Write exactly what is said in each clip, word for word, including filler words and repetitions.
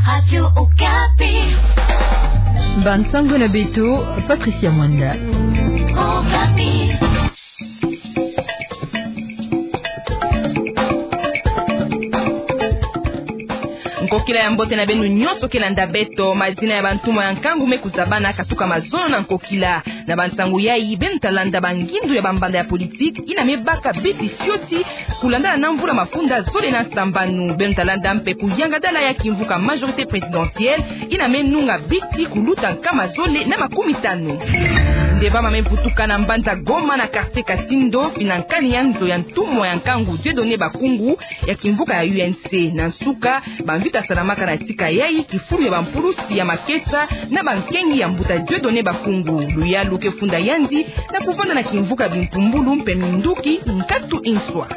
Radio Okapi. Bansango na beto, Patricia Mwanda. Okapi. Nkokila ya mbote na beno nyonso ke landa beto. Mazina ya bantumwa ya nkangu me kuzabana katuka mazono na nkokila. Na bansango yayi, beno ta landa bangindu ya bambanda ya politiki ina me baka biti fioti kulandana na mvula mafunda zole na sambanu. Beno ta landa mpe kuyangadala ya kimvuka majorité présidentielle ina me nunga biti kuluta nkama zole na makumi tanu. Nde bama me vutuka na mbanza Goma na quartier Kasindo, fina nkani ya nzo ya ntumwa ya nkangu Dieudonné Bakungu ya kimvuka ya U N C. Na nsuka, bamvita salamaka na tika yayi kifulu ya bampulusi ya makesa na bankengi ya mbuta Dieudonné Bakungu. Luyalu ke funda yandi na kuvanda na kimvuka bimpumbulu mpe minduki nkatu inswa.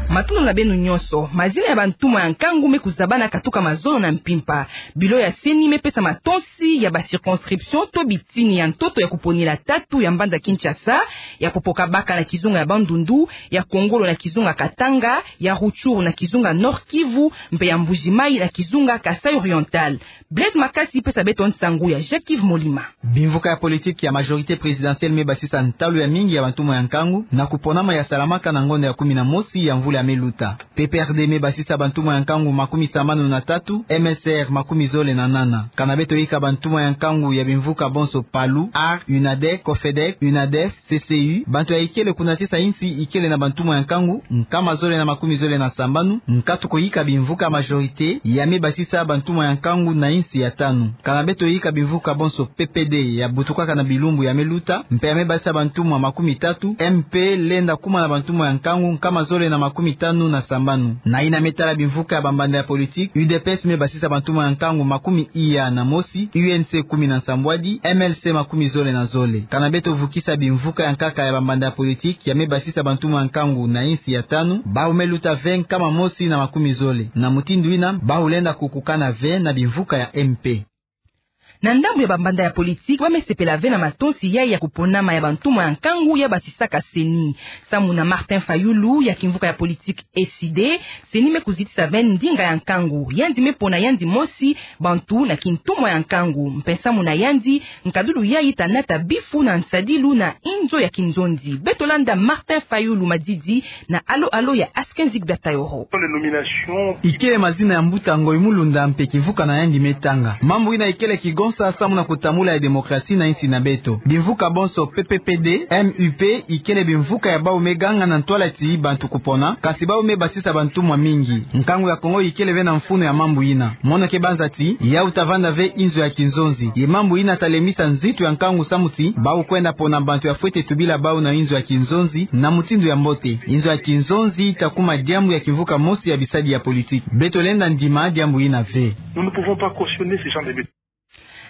Matondo na beno nyonso. Mazina ya bantumwa ya nkangu me kuzabana katuka mazono na mpimpa. Bilo ya CENI me pesa matonsi ya ba circonscription to bitini ya ntoto ya kuponila tatu ya mbanza Kinshasa, ya Popokabaka na kizunga ya Bandundu, ya Kongolo na kizunga Katanga, ya Rutshuru na kizunga Nord-Kivu, mpe ya Mbuji-Mayi na kizunga Kasaï Oriental. Blaise Makasi pesa beto nsangu ya Jacques-Yves Molima. Bimvuka ya politiki ya majorité présidentielle me basisa ntalu ya mingi ya bantumwa ya nkangu na kuponama ya salamaka na ngonda ya kumi na mosi ya mvula ya me luta. P P R D me basisa bantumwa ya nkangu makumi sambanu na tatu, M S R makumi zole na nana. Kana beto yika bantumwa ya nkangu ya bimvuka bonso PALU, AR, UNADEC, COFEDEC, UNADEF, C C U, bantu ya ikele kunatisa insi ikele na bantumwa ya nkangu nkama zole na makumi zole na sambanu, nkatu ko yika bimvuka majorité ya me basisa bantumwa ya nkangu na insi ya tanu. Kana beto yika bimvuka bonso P P D ya butukaka na bilumbu ya me luta, mpe ya me basisa bantumwa makumi tatu, M P lenda kuma na bantumwa ya nkangu nkama zole na makumi tanu na sambanu. Na ina me tala bimvuka ya bambanda ya politiki, U D P S me basisa bantumwa ya nkangu makumi iya na mosi, U N C kumi na nsambwadi, M L C makumi zole na zole. Kana beto vukisa bimvuka ya nkaka ya bambanda ya politiki ya me basisa bantumwa ya nkangu na insi ya tanu, bawu me luta ve nkama mosi na makumi zole. Na mutindu ina, bawu lenda kukukana ve na bimvuka ya M P. Na ndambu ya bambanda ya politiki, ba me sepela ve na matonsi yayi ya kuponama ya bantumwa ya nkangu ya basisaka CENI. Samu na Martin Fayulu ya kimvuka ya politiki E C D, CENI me kuzitisa ve ndinga ya nkangu. Yandi me pona yandi mosi bantu na kintumwa ya nkangu. Mpe samu na yandi, nkadulu yayi ta nata bifu na nsadilu na inzo ya kinzonzi. Beto landa Martin Fayulu madidi na Alo Alo ya Askenzik Batayoro. Ikele mazina ya mbuta Ngoy Mulunda mpe kimvuka na yandi me tanga. Mambu ina ikele kigonsa samu na kutambula ya démocratie na insi na beto. Bimvuka bonso P P P D, M U P, ikele bimvuka ya bawu me ganga na ntwala ti bantu kupona, kasi bawu me basisa bantumwa mingi. Nkangu ya Kongo ikele ve na mfunu ya mambu ina. Mono ke banza ti, yawu ta vanda ve inzo ya kinzonzi. Ye mambu ina ta lemisa nzitu ya nkangu samu ti, bawu kwenda pona bantu ya fwete tubila bawu na inzo ya kinzonzi, na mutindu ya mbote. Inzo ya kinzonzi ta kuma diambu ya kimvuka mosi ya bisadi ya politiki. Beto lenda ndima diambu ina ve. Nous ne pouvons pas cautionner ce genre de bêtises.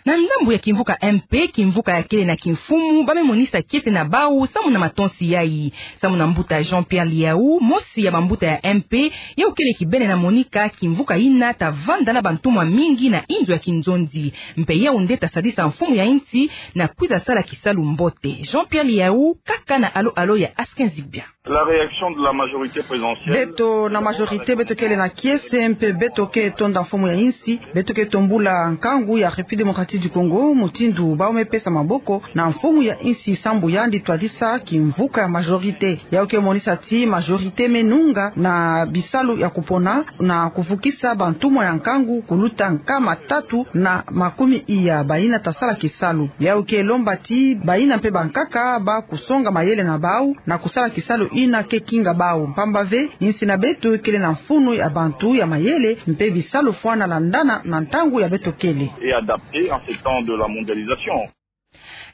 Na ndambu ya kimvuka M P, kimvuka ya kele na kimfumu, ba me monisa kiese na bawu samu na matonsi yayi. Samu na mbuta Jean-Pierre Liaou, mosi ya bambuta ya M P, yawu kele kibene na monika kimvuka ina ta vanda na bantumwa mingi na inzo ya kinzonzi. Mpe yawu nde ta sadisa mfumu ya insi na kwiza sala kisalu mbote. Jean-Pierre Liaou, kaka na Alo Alo ya Askenzik Bia. La réaction de la majorité présidentielle. Beto na majorité, beto kele na kiese, mpe beto ke tonda mfumu ya insi, beto ke tombula nkangu ya République démocratique du Congo, mutindu bawu me pesa maboko na mfumu ya insi samu yandi twadisa kimvuka ya majorité. Yawu ke monisa ti majorité me nunga na bisalu ya kupona na kuvukisa bantumwa ya nkangu kuluta nkama tatu na makumi iya baina ta sala kisalu. Yawu ke lomba ti baina mpe bankaka ba kusonga mayele na bawu na kusala kisalu ina ke kinga bawu. Mpamba ve, insi na beto kele na mfunu ya bantu ya mayele mpe bisalu fwana landana na ntangu ya beto kele. Et adapté en ces temps de la mondialisation.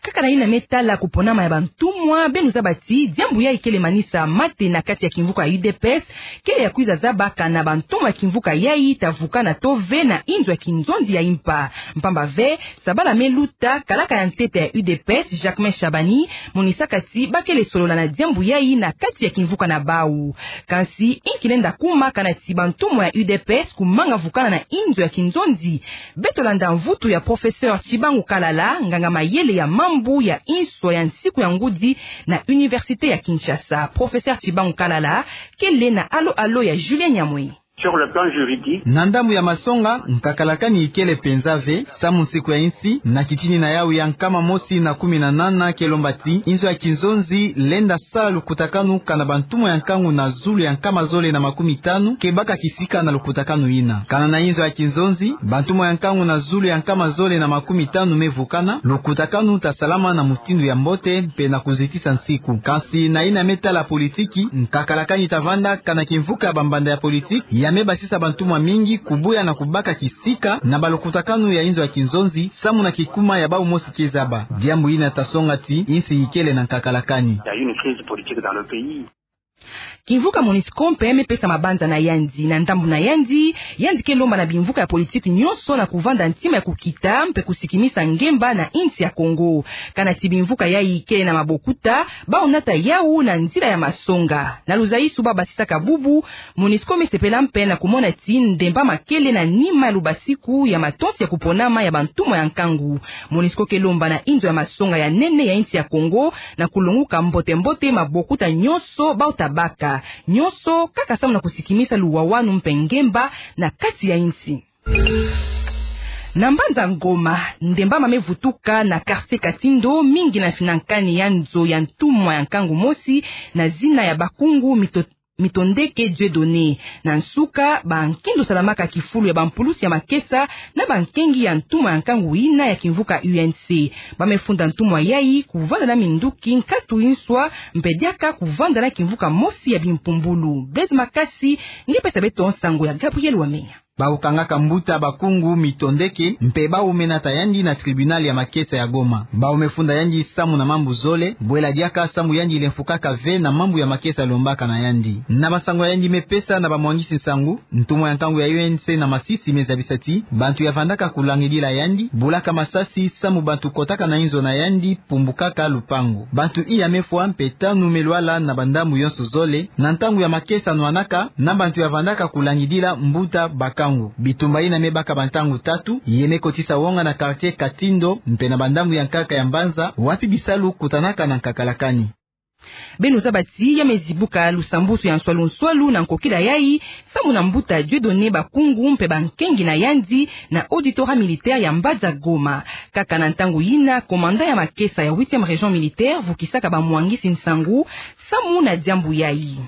Kaka na ina me tala kuponama ya bantumwa, beno zaba ti diambu yayi kele manisa mate na kati ya kimvuka ya U D P S, kele ya kwiza zabaka na bantumwa ya kimvuka yayi ta vukana to ve na inzo ya kinzonzi ya impa. Mpamba ve, sabala me luta, kalaka ya ntete ya U D P S, Jacquemain Shabani, monisaka ti ba kele solola na diambu yayi na kati ya kimvuka na bawu. Kansi, inki lenda kuma kana ti bantumwa ya U D P S kumanga vukana na inzo ya kinzonzi? Beto landa mvutu ya professeur Tshibangu Kalala, nganga mayele ya mambu ya inswa ya nsiku ya ngudi na Université ya Kinshasa. Professeur Tshibangu Kalala kele na Alo Alo ya Julien Nyamwe. Sur le plan juridique. Na ndambu ya masonga, nkakalakani ikele penza ve, samu nsiku ya insi, na kitini na yawu ya nkama mosi na kumi na nana ke lomba ti, inzo ya kinzonzi lenda sala lukutakanu kana bantumwa ya nkangu na zulu ya nkama zole na makumi tanu ke baka kisika na lukutakanu yina. Kana na inzo ya kinzonzi, bantumwa ya nkangu na zulu ya nkama zole na makumi tanu me vukana, lukutakanu ta salama na mutindu ya mbote mpe na kuzitisa nsiku. Kansi na yina me tala politiki, nkakalakani ta vanda kana kimvuka ya bambanda ya politiki ya me basisa bantumwa mingi kubuya na kubaka kisika na balukutakanu ya inzo ya kinzonzi, samu na kikuma ya bawu mosi ke zaba. Diambu yina ta songa ti insi ikele na nkakalakani. Il y a une crise politique dans le pays. Kimvuka Monusco mpe me pesa mabanza na yandi. Na ndambu na yandi, yandi ke lomba na bimvuka ya politiki nyonso na kuvanda ntima ya kukita mpe kusikimisa ngemba na insi ya Kongo. Kana ti bimvuka yayi ikele na mabokuta, bawu nata yawu na nzila ya masonga. Na luzayisu ba basisaka bubu, Monusco me sepela mpe na kumona ti ndemba makele na nima ya lubasiku ya matonsi ya kuponama ya bantumwa ya nkangu. Monusco ke lomba na inzo ya masonga ya nene ya insi ya Kongo na kulonguka mbote-mbote mabokuta nyonso bawu ta baka. Nyonso kaka samu na kusikimisa luwawanu mpe ngemba na kati ya insi. Na mbanza Goma, ndemba ma me vutuka na quartier Katindo, mingi na finankani ya nzo ya ntumwa ya nkangu mosi na zina ya Bakungu Mito-, Mitondeke Dieudonné. Na nsuka, ba nkindo salamaka kifulu ya bampulusi ya makesa na bankengi ya ntumwa ya nkangu yina ya kimvuka U N C. Ba me funda ntumwa yayi kuvanda na minduki nkatu inswa, mpe diaka kuvanda na kimvuka mosi ya bimpumbulu. Blaise Makasi nge pesa beto nsangu ya Gabriel Wamenya. Bawu kangaka mbuta Bakungu Mitondeke, mpe bawu me nata yandi na tribunal ya makesa ya Goma. Bawu me funda yandi samu na mambu zole, bwela diaka samu yandi lemfukaka ve na mambu ya makesa lombaka na yandi. Na bansangu ya yandi me pesa na bamwangisi nsangu, ntumwa ya nkangu ya U N C na masisi me zabisa ti bantu ya vandaka kulangidila yandi bulaka masasi samu bantu kotaka na inzo na yandi, pumbukaka lupangu. Bantu iya me fwa mpe tanu me lwala na bandambu yonso zole, na ntangu ya makesa nwanaka na bantu ya vandaka kulangidila mbuta Bakungu. Bitumba yina me baka bantangu tatu, ye me kotisa wonga na quartier Katindo, mpe na bandambu ya nkaka ya mbanza, wapi bisalu kutanaka na nkakalakani. Beno zaba ti ya me zibuka lusambusu ya nswalu-nswalu na nkokila yayi, samu na mbuta Dieudonné Bakungu mpe bankengi na yandi na auditorat militaire ya mbanza Goma. Kaka na ntangu yina, commandant ya makesa ya huitième région militaire vukisaka bamwangisi nsangu samu na diambu yayi.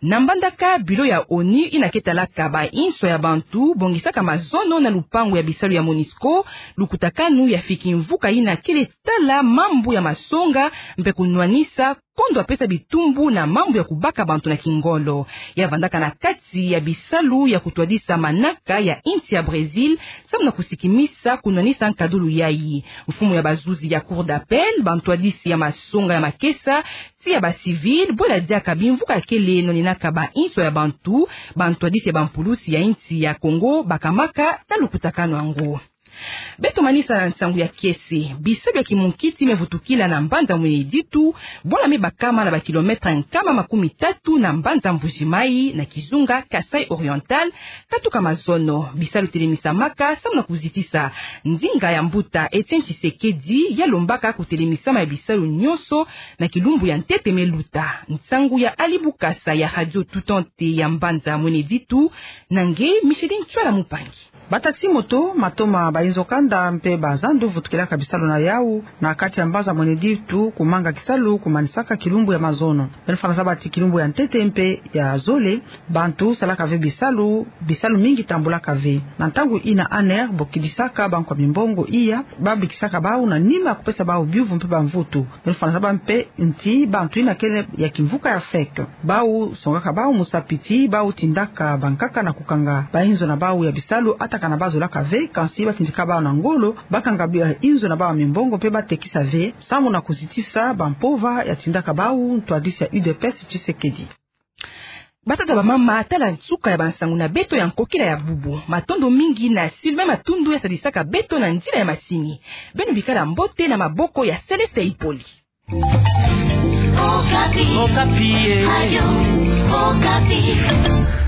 Na Mbandaka, bureau ya ONU yina ke talaka ba inswa ya bantu bongisaka mazono na lupangu ya bisalu ya Monusco lukutakanu ya fiki mvuka yina kele tala mambu ya masonga mpe kunwanisa kondo ya pesa bitumbu na mambu ya kubaka bantu na kingolo. Ya vandaka na kati ya bisalu ya kutwadisa manaka ya insi ya Brésil, samu na kusikimisa kunwanisa nkadulu yayi. Mfumu ya bazuzi ya Cour d'appel, bantwadisi ya masonga ya makesa, ti ya ba civil, bwela diaka bimvuka kele nwaninaka ba inswa ya bantu, bantwadisi ya bampulusi ya insi ya Congo bakamaka na lukutakanu yango. Beto manisa na nsangu ya kiese. Bisalu ya kimunkiti me vutukila na mbanza Mweneditu, bwala me bakama na ba kilomètre nkama makumi tatu na mbanza Mbuji-Mayi, na kizunga Kasaï Oriental, katuka mazono. Bisalu telemisamaka samu na kuzitisa ndinga ya mbuta Etienne Tshisekedi ya lombaka kutelemisama ya bisalu nyonso na kilumbu ya ntete me luta. Nsangu ya Ali Bukasa ya Radio Tout Entier ya mbanza Mweneditu, na nge Micheline Tswala Mupangi. Ba taxi-moto, matoma, ba inzo kanda mpe ba zandu vutukilaka bisalu na yawu na kati ya mbanza Mweneditu, kumanga kisalu kumanisaka kilumbu ya mazono. Beno fwana zaba ti kilumbu ya ntete mpe ya zole, bantu salaka ve bisalu, bisalu mingi tambulaka ve. Na ntangu yina ANR bokidisaka bankwa mimbongo iya babikisaka bawu na nima ya kupesa bawu biuvu mpe bamvutu. Beno fwana zaba mpe ti bantu yina kele ya kimvuka ya FEC, bawu songaka bawu musapi ti bawu tindaka bankaka na kukanga ba inzo na bawu ya bisalu, ata kana bazolaka ve, kansi batindika bawu na ngolo bakanga ba inzo na bawu ya mimbongo mpe batekisa ve, samu na kuzitisa bampova ya tindaka bawu ntwadisi ya U D P S Tshisekedi. Batata, bamama, tala nsuka ya bansangu na beto ya nkokila ya bubu. Matondo mingi na Sylvain Matundu ya sadisaka beto na nzila ya masini. Beno bikala mbote na maboko ya Céleste Ipoli. Okapi. Okapi, eh. Radio Okapi.